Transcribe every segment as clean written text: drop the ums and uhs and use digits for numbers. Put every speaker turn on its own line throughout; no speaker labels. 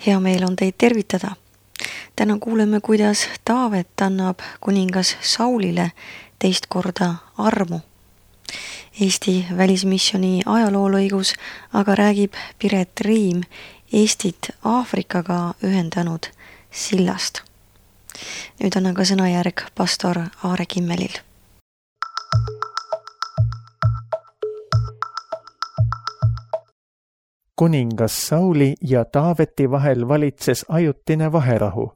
Hea meel on teid tervitada. Täna kuuleme, kuidas Taavet annab kuningas Saulile teist korda armu. Eesti välismisjoni ajaloolõigus aga räägib Piret Riim Eestit Aafrikaga ühendanud sillast. Nüüd annan ka sõnajärg pastor Aare Kimmelil.
Kuningas Sauli ja Taaveti vahel valitses ajutine vaherahu.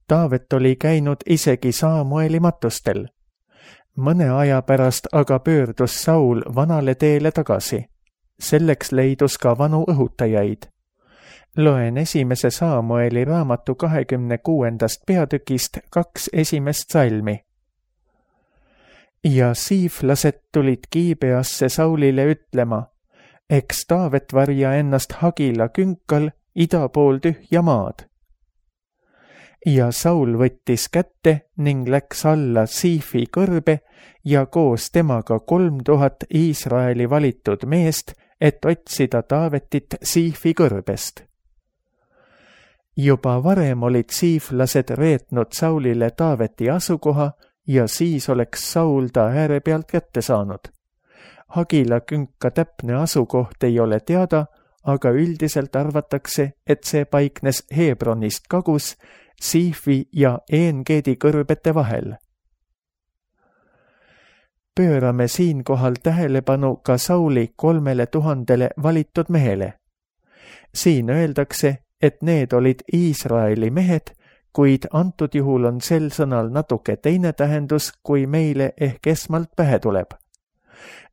Taavet oli käinud isegi Saamueli matustel. Mõne aja pärast aga pöördus Saul vanale teele tagasi. Selleks leidus ka vanu õhutajaid. Loen 1. Saamueli raamatu 26. peatükist 2 esimest salmi. Ja siiflased tulid Gibeasse Saulile ütlema, eks Taavet varja ennast Hagila künkal ida pool tühja maad. Ja Saul võttis kätte ning läks alla Siifi kõrbe ja koos temaga 3000 Iisraeli valitud meest, et otsida Taavetit Siifi kõrbest. Juba varem olid siiflased reetnud Saulile Taaveti asukoha ja siis oleks Saul ta ääre pealt kätte saanud. Hagila künka täpne asukoht ei ole teada, aga üldiselt arvatakse, et see paiknes Hebronist kagus Siifi ja Eengeedi kõrbete vahel. Pöörame siinkohal tähelepanu ka Sauli 3000 valitud mehele. Siin öeldakse, et need olid Iisraeli mehed, kuid antud juhul on sel sõnal natuke teine tähendus, kui meile ehk esmalt pähe tuleb.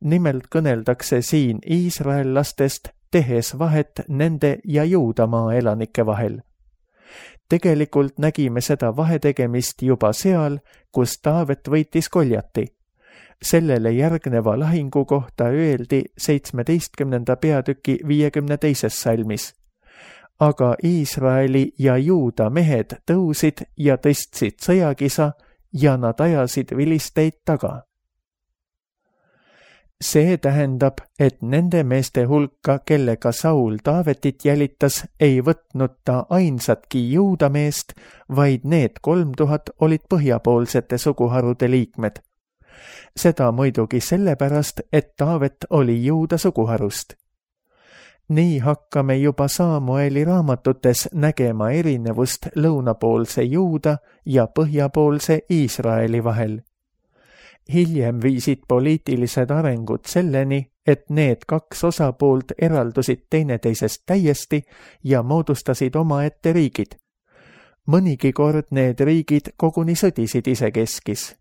Nimelt kõneldakse siin iisraellastest, tehes vahet nende ja Juudamaa elanike vahel. Tegelikult nägime seda vahetegemist juba seal, kus Taavet võitis Goljati. Sellele järgneva lahingu kohta öeldi 17. peatüki 52. salmis. Aga Iisraeli ja Juuda mehed tõusid ja tõstsid sõjakisa ja nad ajasid vilisteid taga. See tähendab, et nende meeste hulka, kellega Saul Taavetit jälitas, ei võtnud ta ainsatki Juuda meest, vaid need 3000 olid põhjapoolsete suguharude liikmed. Seda muidugi sellepärast, et Taavet oli Juuda suguharust. Nii hakkame juba Saamueli raamatutes nägema erinevust lõunapoolse Juuda ja põhjapoolse Iisraeli vahel. Hiljem viisid poliitilised arengud selleni, et need kaks osapoolt eraldusid teineteisest täiesti ja moodustasid omaette riigid. Mõnigi kord need riigid koguni sõdisid isekeskis.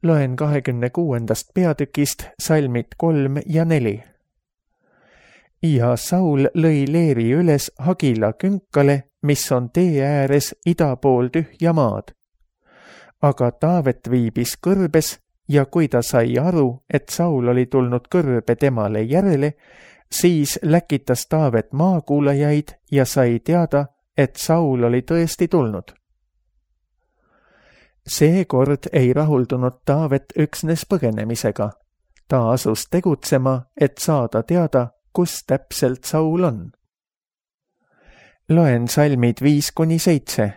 Loen 26. peatükist salmid 3 ja 4. Ja Saul lõi leeri üles Hagila künkale, mis on tee ääres ida pool tühja maad. Aga Taavet viibis kõrbes ja kui ta sai aru, et Saul oli tulnud kõrbe temale järele, siis läkitas Taavet maakuulajaid ja sai teada, et Saul oli tõesti tulnud. Seekord ei rahuldunud Taavet üksnes põgenemisega. Ta asus tegutsema, et saada teada, kus täpselt Saul on. Loen salmid 5-7.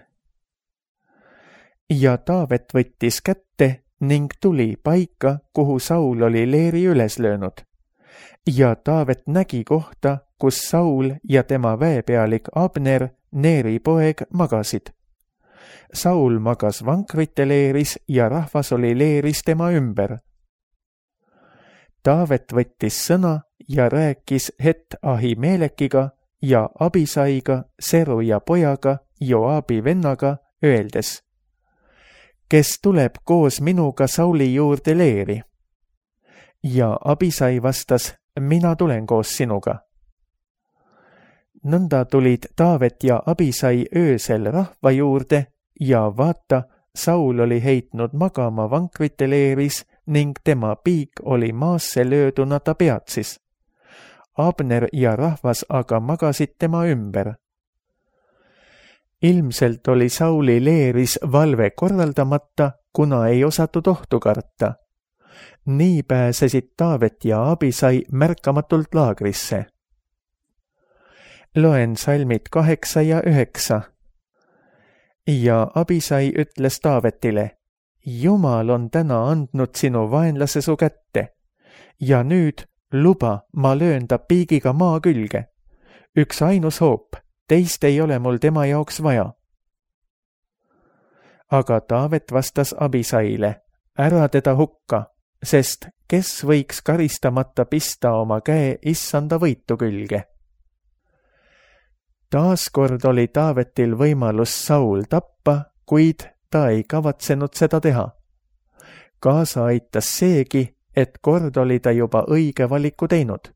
Ja Taavet võttis kätte ning tuli paika, kuhu Saul oli leeri üles löönud. Ja Taavet nägi kohta, kus Saul ja tema väepealik Abner, Neeri poeg, magasid. Saul magas vankrite leeris ja rahvas oli leeris tema ümber. Taavet võttis sõna ja rääkis Het Ahimelekiga ja Abisaiga, Seruja pojaga, Joabi vennaga, öeldes, kes tuleb koos minuga Sauli juurde leeri. Ja Abisai vastas, mina tulen koos sinuga. Nõnda tulid Taavet ja Abisai öösel rahva juurde ja vaata, Saul oli heitnud magama vankrite leeris ning tema piik oli maasse lööduna ta peatsis. Abner ja rahvas aga magasid tema ümber. Ilmselt oli Sauli leeris valve korraldamata, kuna ei osatud ohtu karta. Nii pääsesid Taavet ja Abisai märkamatult laagrisse. Loen salmid 8 ja 9. Ja Abisai ütles Taavetile, Jumal on täna andnud sinu vaenlase su kätte ja nüüd luba, ma löön ta piigiga maa külge. Üks ainus hoop, teist ei ole mul tema jaoks vaja. Aga Taavet vastas Abisaile, ära teda hukka, sest kes võiks karistamata pista oma käe issanda võitu külge. Taaskord oli Taavetil võimalus Saul tappa, kuid ta ei kavatsenud seda teha. Kaasa aitas seegi, et kord oli ta juba õige valiku teinud.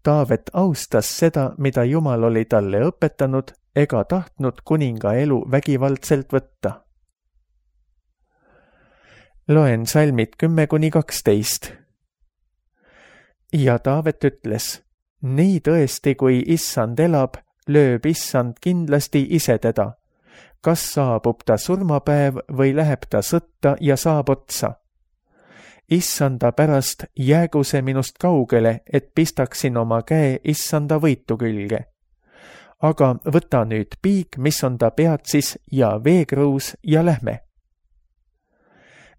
Taavet austas seda, mida Jumal oli talle õpetanud, ega tahtnud kuninga elu vägivaldselt võtta. Loen salmid 10-12. Ja Taavet ütles, nii tõesti, kui issand elab, lööb issand kindlasti ise teda. Kas saabub ta surmapäev või läheb ta sõtta ja saab otsa? Issanda pärast jäägu see minust kaugele, et pistaksin oma käe issanda võitu külge. Aga võta nüüd piik, mis on ta peatsis, ja veekruus ja lähme.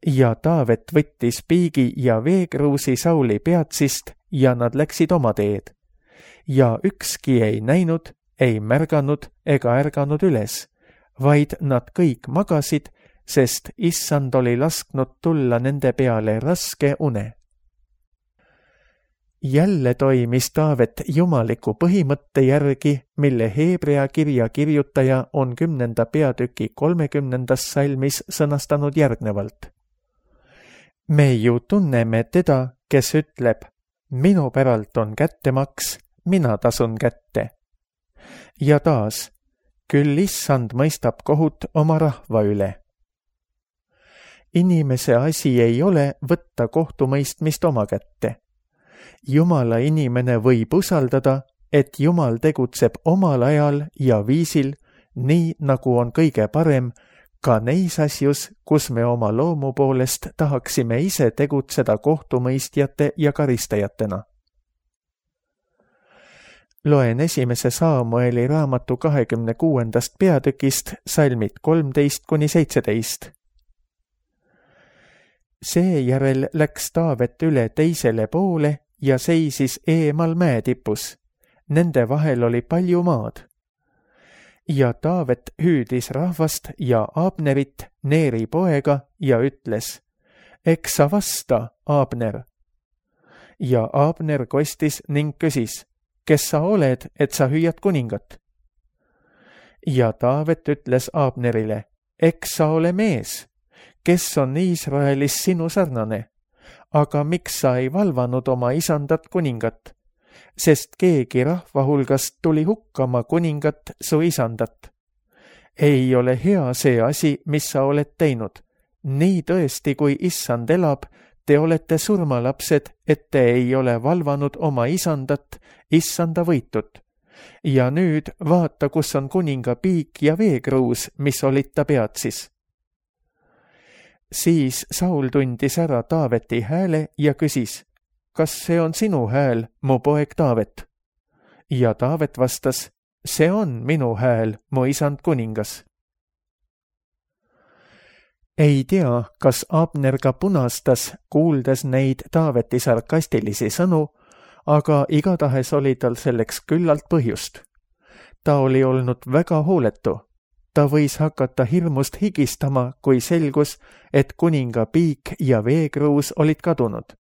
Ja Taavet võttis piigi ja veekruusi Sauli peatsist ja nad läksid oma teed. Ja ükski ei näinud, ei märganud ega ärganud üles, vaid nad kõik magasid, sest issand oli lasknud tulla nende peale raske une. Jälle toimis Taavet jumaliku põhimõtte järgi, mille Heebrea kirja kirjutaja on 10. peatüki 30. salmis sõnastanud järgnevalt. Me ju tunneme teda, kes ütleb, minu päralt on kättemaks, mina tasun kätte. Ja taas, küll issand mõistab kohut oma rahva üle. Inimese asi ei ole võtta kohtumõistmist oma kätte. Jumala inimene võib usaldada, et Jumal tegutseb omal ajal ja viisil, nii nagu on kõige parem, ka neis asjus, kus me oma loomu poolest tahaksime ise tegutseda kohtumõistjate ja karistajatena. Loen 1. Saamueli raamatu 26. peatükist salmid 13-17. Seejärel läks Taavet üle teisele poole ja seisis eemal mäetipus. Nende vahel oli palju maad. Ja Taavet hüüdis rahvast ja Abnerit, Neeri poega, ja ütles, eks sa vasta, Abner. Ja Abner kostis ning küsis, kes sa oled, et sa hüüad kuningat? Ja Taavet ütles Abnerile, eks sa ole mees, kes on Iisraelis sinu sarnane, aga miks sa ei valvanud oma isandat kuningat? Sest keegi rahva hulgast tuli hukkama kuningat su isandat. Ei ole hea see asi, mis sa oled teinud. Nii tõesti, kui issand elab, te olete surmalapsed, et te ei ole valvanud oma isandat, issanda võitut. Ja nüüd vaata, kus on kuninga piik ja veekruus, mis olid ta peatsis. Siis Saul tundis ära Taaveti hääle ja küsis, kas see on sinu hääl, mu poeg Taavet? Ja Taavet vastas, see on minu hääl, mu isand kuningas. Ei tea, kas Abner ka punastas, kuuldes neid Taaveti sarkastilisi sõnu, aga igatahes oli tal selleks küllalt põhjust. Ta oli olnud väga hooletu. Ta võis hakata hirmust higistama, kui selgus, et kuninga piik ja veekruus olid kadunud.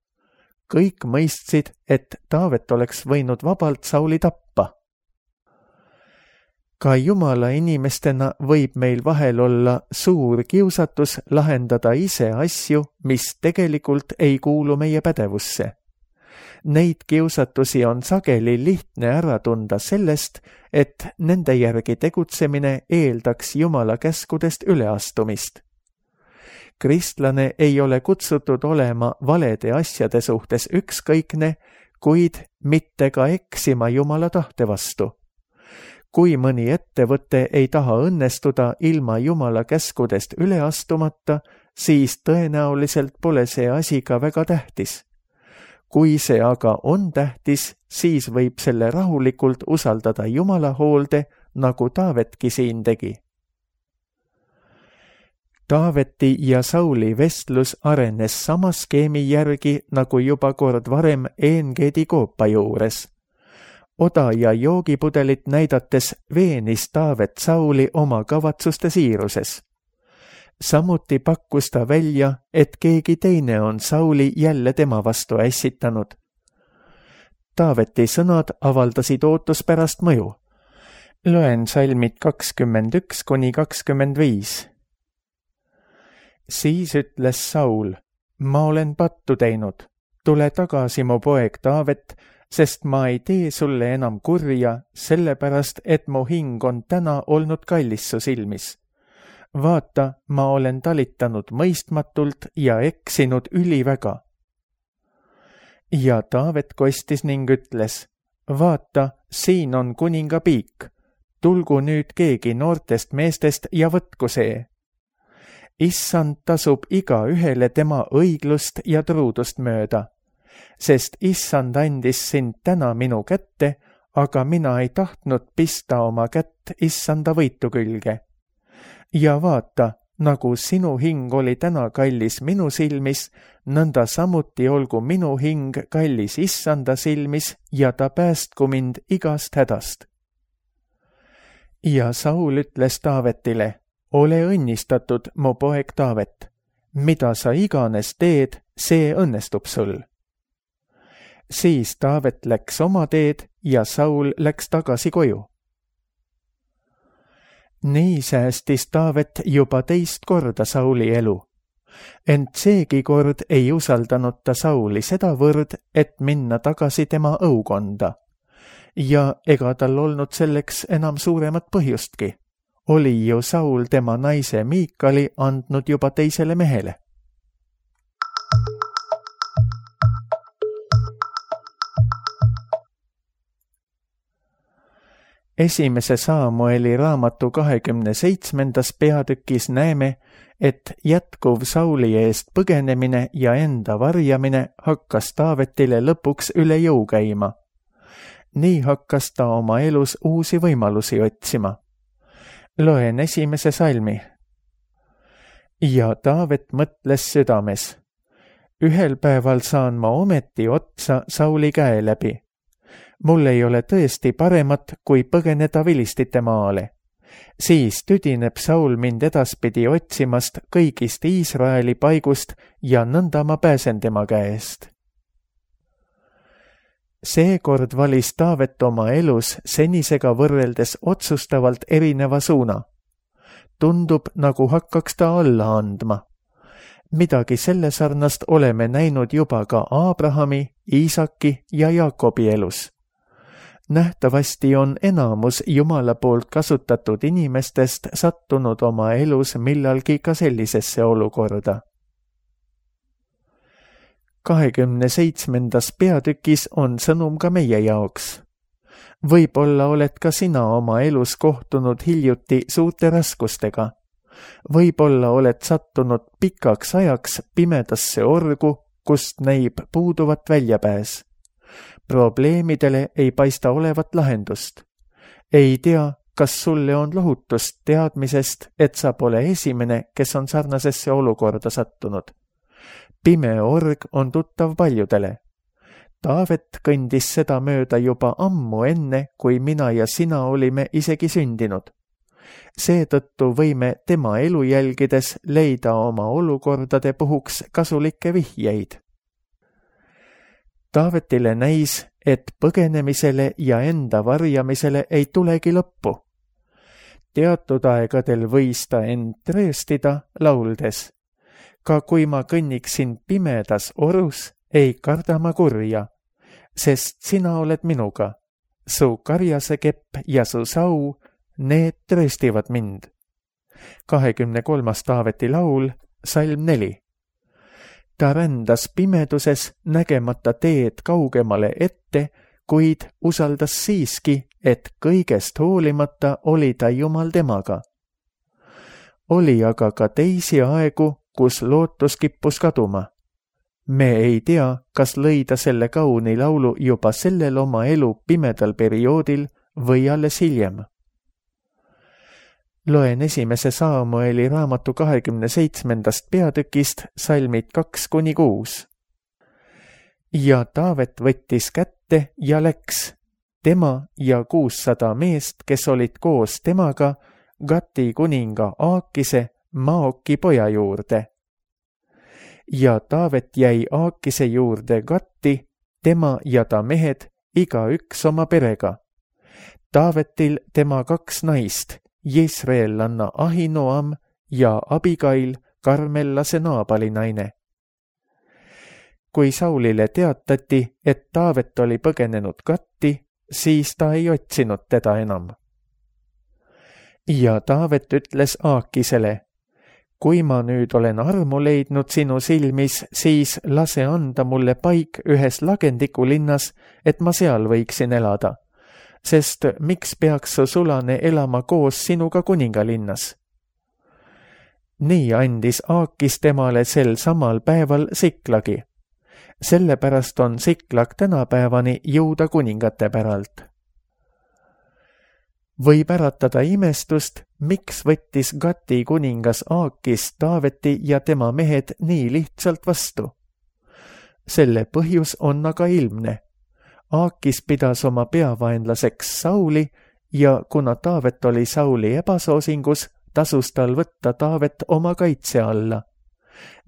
Kõik mõistsid, et Taavet oleks võinud vabalt Sauli tappa. Ka Jumala inimestena võib meil vahel olla suur kiusatus lahendada ise asju, mis tegelikult ei kuulu meie pädevusse. Neid kiusatusi on sageli lihtne ära tunda sellest, et nende järgi tegutsemine eeldaks Jumala käskudest üleastumist. Kristlane ei ole kutsutud olema valede asjade suhtes ükskõikne, kuid mitte ka eksima Jumala tahte vastu. Kui mõni ettevõte ei taha õnnestuda ilma Jumala käskudest üle astumata, siis tõenäoliselt pole see asi ka väga tähtis. Kui see aga on tähtis, siis võib selle rahulikult usaldada Jumala hoolde, nagu Taavetki siin tegi. Taaveti ja Sauli vestlus arenes sama skeemi järgi, nagu juba kord varem Engeedi koopa juures. Oda ja joogipudelit näidates veenis Taavet Sauli oma kavatsuste siiruses. Samuti pakkus ta välja, et keegi teine on Sauli jälle tema vastu ässitanud. Taaveti sõnad avaldasid ootuspärast mõju. Loen salmid 21–25. Siis ütles Saul, ma olen pattu teinud, tule tagasi mu poeg Taavet, sest ma ei tee sulle enam kurja, sellepärast et mu hing on täna olnud kallis su silmis. Vaata, ma olen talitanud mõistmatult ja eksinud üliväga. Ja Taavet kostis ning ütles, vaata, siin on kuninga piik, tulgu nüüd keegi noortest meestest ja võtku see. Issand tasub iga ühele tema õiglust ja truudust mööda, sest Issand andis sind täna minu kätte, aga mina ei tahtnud pista oma kätt Issanda võitu külge. Ja vaata, nagu sinu hing oli täna kallis minu silmis, nõnda samuti olgu minu hing kallis Issanda silmis ja ta päästku mind igast hädast. Ja Saul ütles Taavetile, ole õnnistatud, mu poeg Taavet, mida sa iganes teed, see õnnestub sul. Siis Taavet läks oma teed ja Saul läks tagasi koju. Nii säästis Taavet juba teist korda Sauli elu, ent seegi kord ei usaldanud ta Sauli sedavõrd, et minna tagasi tema õukonda. Ja ega tal olnud selleks enam suuremat põhjustki. Oli ju Saul tema naise Miikali andnud juba teisele mehele. Esimese Saamueli raamatu 27. peatükis näeme, et jätkuv Sauli eest põgenemine ja enda varjamine hakkas Taavetile lõpuks üle jõu käima. Nii hakkas ta oma elus uusi võimalusi otsima. Loen esimese salmi. Ja Taavet mõtles südames. Ühel päeval saan ma ometi otsa Sauli käe läbi. Mul ei ole tõesti paremat, kui põgeneda vilistite maale. Siis tüdineb Saul mind edaspidi otsimast kõigist Iisraeli paigust ja nõnda ma pääsen tema käest. Seekord valis Taavet oma elus senisega võrreldes otsustavalt erineva suuna. Tundub, nagu hakkaks ta alla andma. Midagi selle sarnast oleme näinud juba ka Aabrahami, Iisaki ja Jaakobi elus. Nähtavasti on enamus Jumala poolt kasutatud inimestest sattunud oma elus millalgi ka sellisesse olukorda. 27. peatükis on sõnum ka meie jaoks. Võib-olla oled ka sina oma elus kohtunud hiljuti suurte raskustega. Võib-olla oled sattunud pikaks ajaks pimedasse orgu, kust näib puuduvat väljapääs. Probleemidele ei paista olevat lahendust. Ei tea, kas sulle on lohutust teadmisest, et sa pole esimene, kes on sarnasesse olukorda sattunud. Pime org on tuttav paljudele. Taavet kõndis seda mööda juba ammu enne, kui mina ja sina olime isegi sündinud. Seetõttu võime tema elu jälgides leida oma olukordade puhuks kasulikke vihjeid. Taavetile näis, et põgenemisele ja enda varjamisele ei tulegi lõppu. Teatud aegadel võis ta end trööstida lauldes. Ka kui ma kõnniksin pimedas orus, ei karda ma kurja, sest sina oled minuga. Su karjasekepp ja su sau, need trööstivad mind. 23. Taaveti laul, salm 4. Ta rändas pimeduses, nägemata teed kaugemale ette, kuid usaldas siiski, et kõigest hoolimata oli ta Jumal temaga. Oli aga ka teisi aegu, kus lootus kippus kaduma. Me ei tea, kas lõi ta selle kauni laulu juba sellel oma elu pimedal perioodil või alles hiljem. Loen esimese Saamueli raamatu 27. peatükist salmid 2-6. Ja Taavet võttis kätte ja läks, tema ja 600 meest, kes olid koos temaga, Gati kuninga Aakise, Maoki poja juurde. Ja Taavet jäi Aakise juurde Gatti, tema ja ta mehed, igaüks oma perega. Taavetil tema 2 naist, Jesreellanna Ahinoam ja Abigail, Karmellase Naabali naine. Kui Saulile teatati, et Taavet oli põgenenud Gatti, siis ta ei otsinud teda enam. Ja Taavet ütles Aakisele, kui ma nüüd olen armu leidnud sinu silmis, siis lase anda mulle paik ühes Lagendiku linnas, et ma seal võiksin elada, sest miks peaks su sulane elama koos sinuga kuningalinnas? Nii andis Aakis temale sel samal päeval Siklagi. Sellepärast on Siklag tänapäevani Juuda kuningate päralt. Võib äratada imestust, miks võttis Gati kuningas Aakis Taaveti ja tema mehed nii lihtsalt vastu. Selle põhjus on aga ilmne. Aakis pidas oma peavaenlaseks Sauli ja kuna Taavet oli Sauli ebasoosingus, tasus tal võtta Taavet oma kaitse alla.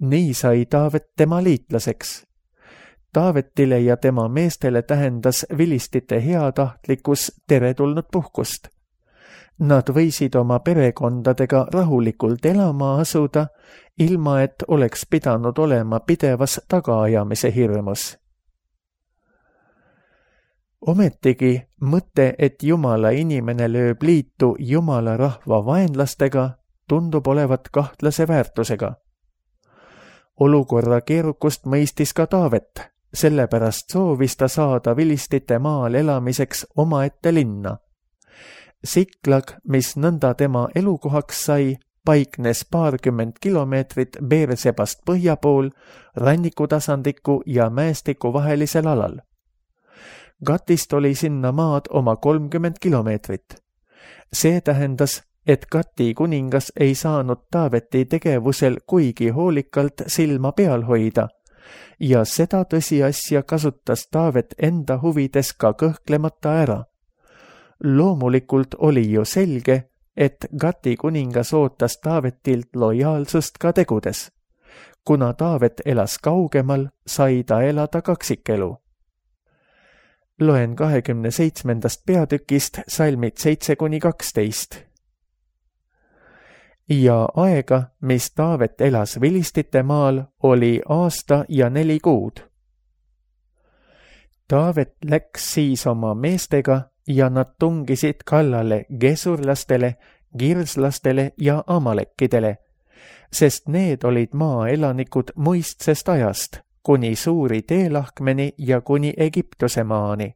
Nii sai Taavet tema liitlaseks. Taavetile ja tema meestele tähendas vilistite heatahtlikkus teretulnud puhkust. Nad võisid oma perekondadega rahulikult elama asuda, ilma et oleks pidanud olema pidevas tagaajamise hirmus. Ometigi mõte, et Jumala inimene lööb liitu Jumala rahva vaenlastega, tundub olevat kahtlase väärtusega. Olukorra keerukust mõistis ka Taavet, sellepärast soovis ta saada vilistite maal elamiseks omaette linna. Siklag, mis nõnda tema elukohaks sai, paiknes 20 kilomeetrit Beersebast põhja pool, rannikutasandiku ja mäestiku vahelisel alal. Gatist oli sinna maad oma 30 kilomeetrit. See tähendas, et Gati kuningas ei saanud Taaveti tegevusel kuigi hoolikalt silma peal hoida ja seda tõsiasja kasutas Taavet enda huvides ka kõhklemata ära. Loomulikult oli ju selge, et Gati kuningas ootas Taavetilt lojaalsust ka tegudes. Kuna Taavet elas kaugemal, sai ta elada kaksikelu. Loen 27. peatükist salmid 7-12. Ja aega, mis Taavet elas vilistite maal, oli aasta ja 4 kuud. Taavet läks siis oma meestega ja nad tungisid kallale gesurlastele, girslastele ja amalekkidele, sest need olid maaelanikud muistsest ajast, kuni suuri teelahkmeni ja kuni Egiptuse maani.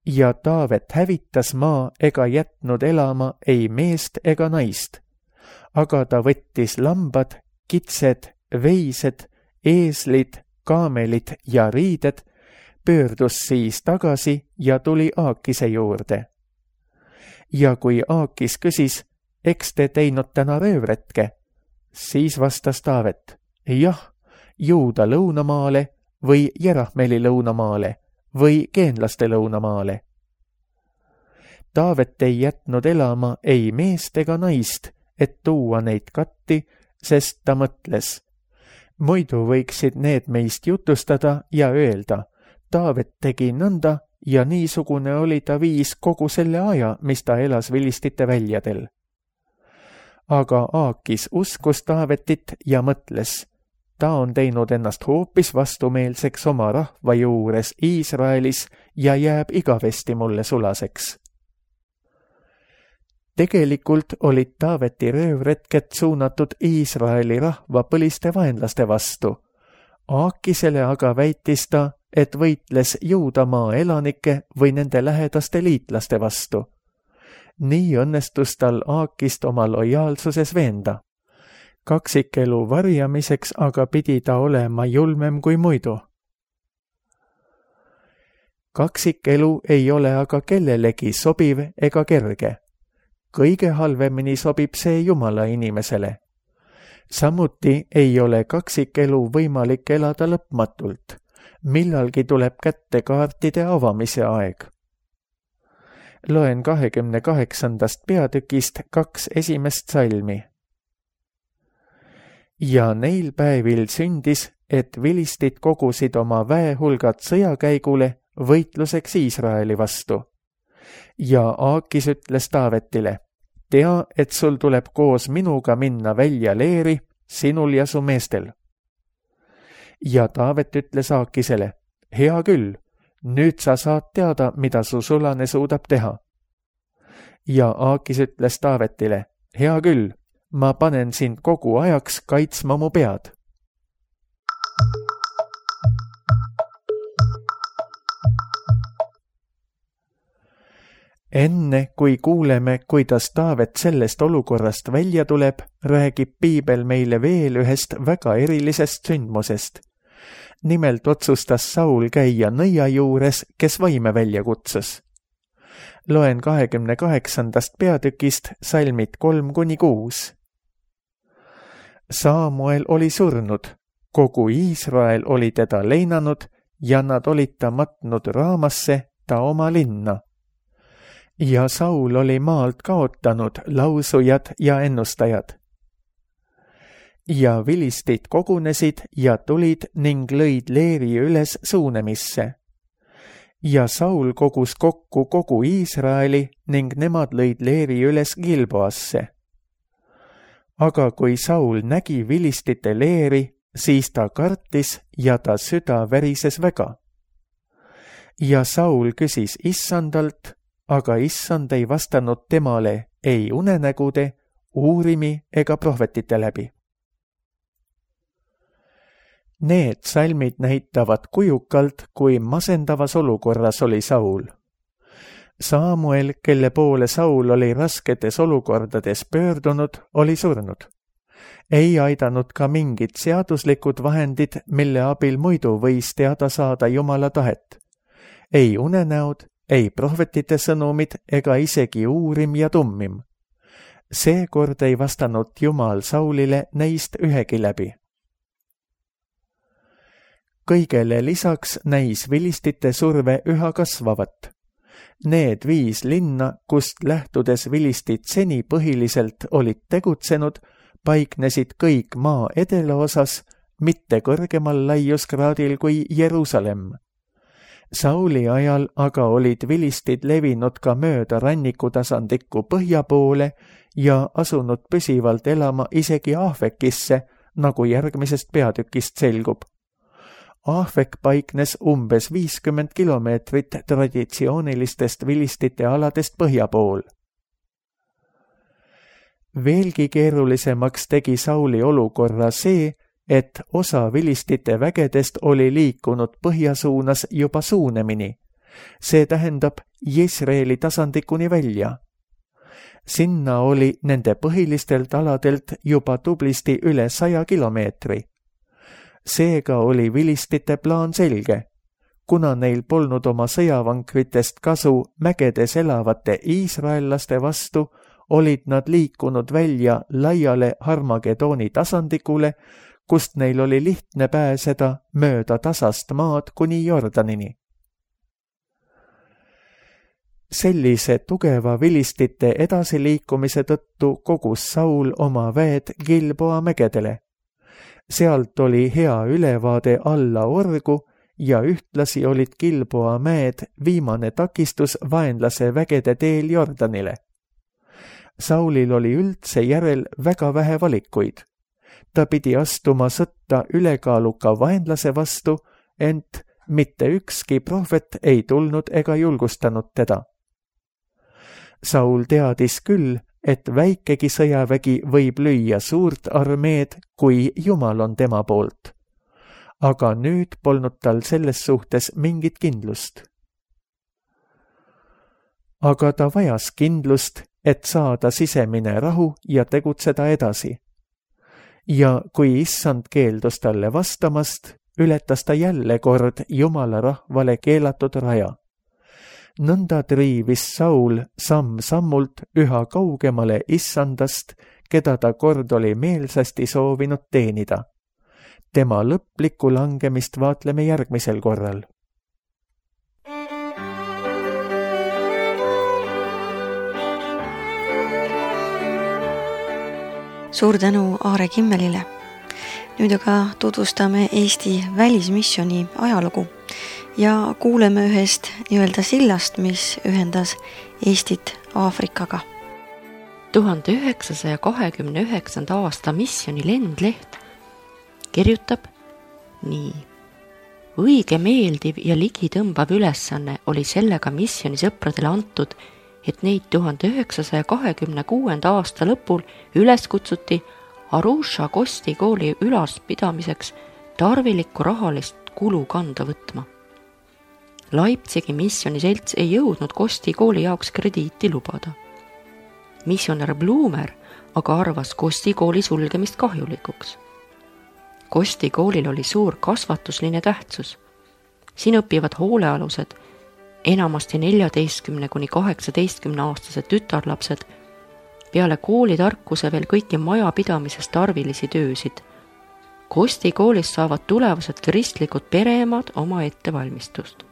Ja Taavet hävitas maa ega jätnud elama ei meest ega naist, aga ta võttis lambad, kitsed, veised, eeslid, kaamelid ja riided, pöördus siis tagasi ja tuli Aakise juurde. Ja kui Aakis küsis, eks te teinud täna röövretke, siis vastas Taavet, jah, Juuda lõunamaale või Jerahmeli lõunamaale või geenlaste lõunamaale. Taavet ei jätnud elama ei meest ega naist, et tuua neid Gatti, sest ta mõtles, muidu võiksid need meist jutustada ja öelda, Taavet tegi nõnda ja niisugune oli ta viis kogu selle aja, mis ta elas vilistite väljadel. Aga Aakis uskus Taavetit ja mõtles, ta on teinud ennast hoopis vastumeelseks oma rahva juures Iisraelis ja jääb igavesti mulle sulaseks. Tegelikult olid Taaveti röövretked suunatud Iisraeli rahva põliste vaenlaste vastu. Aakisele aga väitis ta, et võitles Juudamaa elanike või nende lähedaste liitlaste vastu. Nii õnnestus tal Aakist oma lojaalsuses veenda. kaksikelu varjamiseks aga pidi ta olema julmem kui muidu. Kaksikelu ei ole aga kellelegi sobiv ega kerge. Kõige halvemini sobib see Jumala inimesele. Samuti ei ole kaksikelu võimalik elada lõpmatult. Millalgi tuleb kätte kaartide avamise aeg. Loen 28. peatükist 2 esimest salmi. Ja neil päevil sündis, et vilistid kogusid oma väehulgad sõjakäigule võitluseks Iisraeli vastu. Ja Aakis ütles Taavetile, tea, et sul tuleb koos minuga minna välja leeri, sinul ja su meestel. Ja Taavet ütles Aakisele, hea küll, nüüd sa saad teada, mida su sulane suudab teha. Ja Aakis ütles Taavetile, hea küll, ma panen sind kogu ajaks kaitsma mu pead. Enne kui kuuleme, kuidas Taavet sellest olukorrast välja tuleb, räägib piibel meile veel ühest väga erilisest sündmusest. Nimelt otsustas Saul käia nõia juures, kes vaime välja kutsus. Loen 28. peatükist salmid 3-6. Saamuel oli surnud, kogu Iisrael oli teda leinanud ja nad olid ta matnud Raamasse, ta oma linna. Ja Saul oli maalt kaotanud lausujad ja ennustajad. Ja vilistid kogunesid ja tulid ning lõid leeri üles Suunemisse. Ja Saul kogus kokku kogu Iisraeli ning nemad lõid leeri üles Gilboasse. Aga kui Saul nägi vilistite leeri, siis ta kartis ja ta süda värises väga. Ja Saul küsis Issandalt, aga Issand ei vastanud temale ei unenägude, uurimi ega prohvetite läbi. Need salmid näitavad kujukalt, kui masendavas olukorras oli Saul. Saamuel, kelle poole Saul oli rasketes olukordades pöördunud, oli surnud. Ei aidanud ka mingid seaduslikud vahendid, mille abil muidu võis teada saada Jumala tahet. Ei unenäod, ei prohvetite sõnumid ega isegi uurim ja tummim. Seekord ei vastanud Jumal Saulile neist ühegi läbi. Kõigele lisaks näis vilistite surve üha kasvavat. Need 5 linna, kust lähtudes vilistid seni põhiliselt olid tegutsenud, paiknesid kõik maa edelaosas, mitte kõrgemal laiuskraadil kui Jeruusalemm. Sauli ajal aga olid vilistid levinud ka mööda rannikutasandikku põhja poole ja asunud püsivalt elama isegi Ahvekisse, nagu järgmisest peatükist selgub. Ahvek paiknes umbes 50 kilomeetrit traditsioonilistest vilistite aladest põhja pool. Veelgi keerulisemaks tegi Sauli olukorra see, et osa vilistite vägedest oli liikunud põhjasuunas juba Suunemini. See tähendab Jezreeli tasandikuni välja. Sinna oli nende põhilistelt aladelt juba tublisti üle 100 kilomeetri. Seega oli vilistite plaan selge. Kuna neil polnud oma sõjavankritest kasu mägedes elavate iisraellaste vastu, olid nad liikunud välja laiale Harmagedooni tasandikule, kust neil oli lihtne pääseda mööda tasast maad kuni Jordanini. Sellise tugeva vilistite edasiliikumise tõttu kogus Saul oma väed Gilboa mägedele. Sealt oli hea ülevaade alla orgu ja ühtlasi olid Gilboa mäed viimane takistus vaenlase vägede teel Jordanile. Saulil oli üldse järel väga vähe valikuid. Ta pidi astuma sõtta ülekaaluka vaenlase vastu, ent mitte ükski prohvet ei tulnud ega julgustanud teda. Saul teadis küll, et väikegi sõjavägi võib lüüa suurt armeed, kui Jumal on tema poolt. Aga nüüd polnud tal selles suhtes mingit kindlust. Aga ta vajas kindlust, et saada sisemine rahu ja tegutseda edasi. ja kui issand keeldus talle vastamast, ületas ta jälle kord Jumala rahvale keelatud raja. Nõnda triivis Saul samm-sammult üha kaugemale issandast, keda ta kord oli meelsasti soovinud teenida. Tema lõplikku langemist vaatleme järgmisel korral.
Suur tänu Aare Kimmelile. Nüüd aga tutvustame Eesti välismisjoni ajalugu ja kuuleme ühest nii-öelda sillast, mis ühendas Eestit Aafrikaga.
1929. aasta misjoni lendleht kirjutab nii. Õige meeldiv ja ligitõmbav ülesanne oli sellega misjoni sõpradele antud, et neid 1926. aasta lõpul üles kutsuti Arusha Kosti kooli ülalpidamiseks tarvilikku rahalist kulu kanda võtma. Leipzigi misjoni selts ei jõudnud Kosti kooli jaoks krediiti lubada. Missionär Blumer aga arvas Kosti kooli sulgemist kahjulikuks. Kosti koolil oli suur kasvatusline tähtsus. Siin õpivad hoolealused, enamasti 14–18 aastased tütarlapsed, peale kooli tarkuse veel kõiki majapidamises tarvilisi töösid. Kosti koolis saavad tulevased kristlikud pereemad oma ettevalmistust.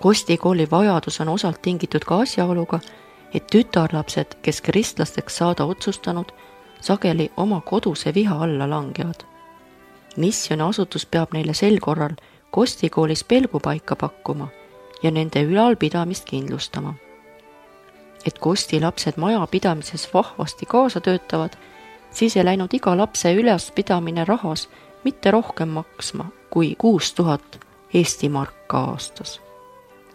Kosti kooli vajadus on osalt tingitud ka asjaoluga, et tütarlapsed, kes kristlasteks saada otsustanud, sageli oma koduse viha alla langevad. Misjoni asutus peab neile sel korral Kosti koolis pelgupaika pakkuma ja nende ülalpidamist kindlustama. Et Kosti lapsed majapidamises vahvasti kaasa töötavad, siis ei läinud iga lapse ülespidamine rahas mitte rohkem maksma kui 6000 Eesti marka aastas.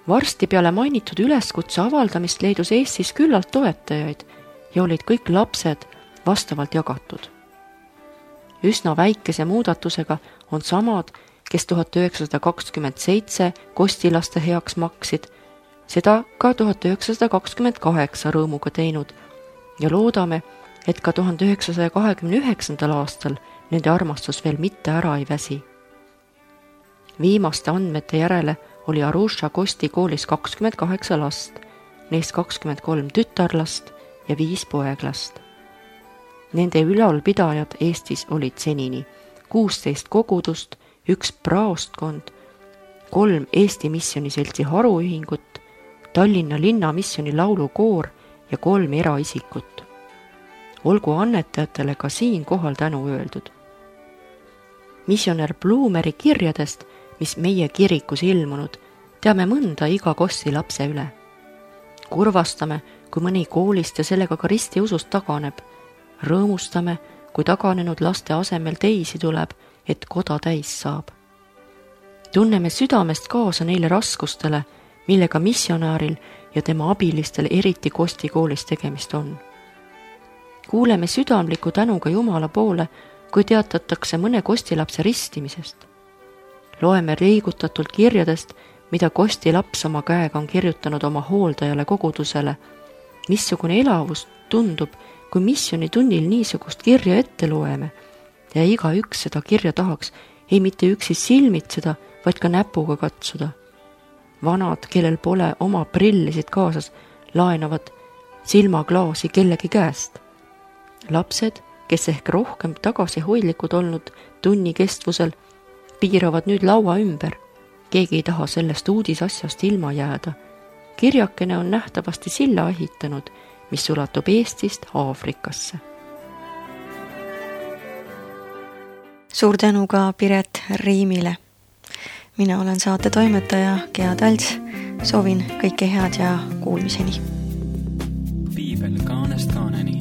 Varsti peale mainitud üleskutse avaldamist leidus Eestis küllalt toetajaid ja olid kõik lapsed vastavalt jagatud. Üsna väikese muudatusega on samad, kes 1927 kostilaste heaks maksid, seda ka 1928 rõõmuga teinud ja loodame, et ka 1929. aastal nende armastus veel mitte ära ei väsi. Viimaste andmete järele oli Arusha Kosti koolis 28 last, neist 23 tütarlast ja 5 poeglast. Nende ülalpidajad Eestis olid senini 16 kogudust, 1 praostkond, 3 Eesti missioniseltsi haruühingut, Tallinna linna missioni laulukoor ja 3 eraisikut. Olgu annetajatele ka siin kohal tänu öeldud. Missionär Blumeri kirjadest, mis meie kirikus ilmunud, teame mõnda iga Kosti lapse üle. Kurvastame, kui mõni koolist ja sellega ka ristiusust taganeb. Rõõmustame, kui taganenud laste asemel teisi tuleb, et koda täis saab. Tunneme südamest kaasa neile raskustele, millega missionääril ja tema abilistel eriti Kosti koolis tegemist on. Kuuleme südamliku tänuga Jumala poole, kui teatatakse mõne kostilapse ristimisest. Loeme liigutatult kirjadest, mida Kosti laps oma käega on kirjutanud oma hooldajale kogudusele. Missugune elavus tundub, kui missioni tunnil niisugust kirja ette loeme ja igaüks seda kirja tahaks ei mitte üksi silmitseda, vaid ka näpuga katsuda. Vanad, kellel pole oma prillisid kaasas, laenavad silmaklaasi kellegi käest. Lapsed, kes ehk rohkem tagasihoidlikud olnud tunni kestvusel, piiravad nüüd laua ümber. Keegi ei taha sellest uudisasjast ilma jääda. Kirjakene on nähtavasti silla ehitanud, mis ulatub Eestist Aafrikasse.
Suur tänu ka Piret Riimile. Mina olen saate toimetaja Gea Talts. Soovin kõike head ja kuulmiseni.
Piibel kaanest kaaneni.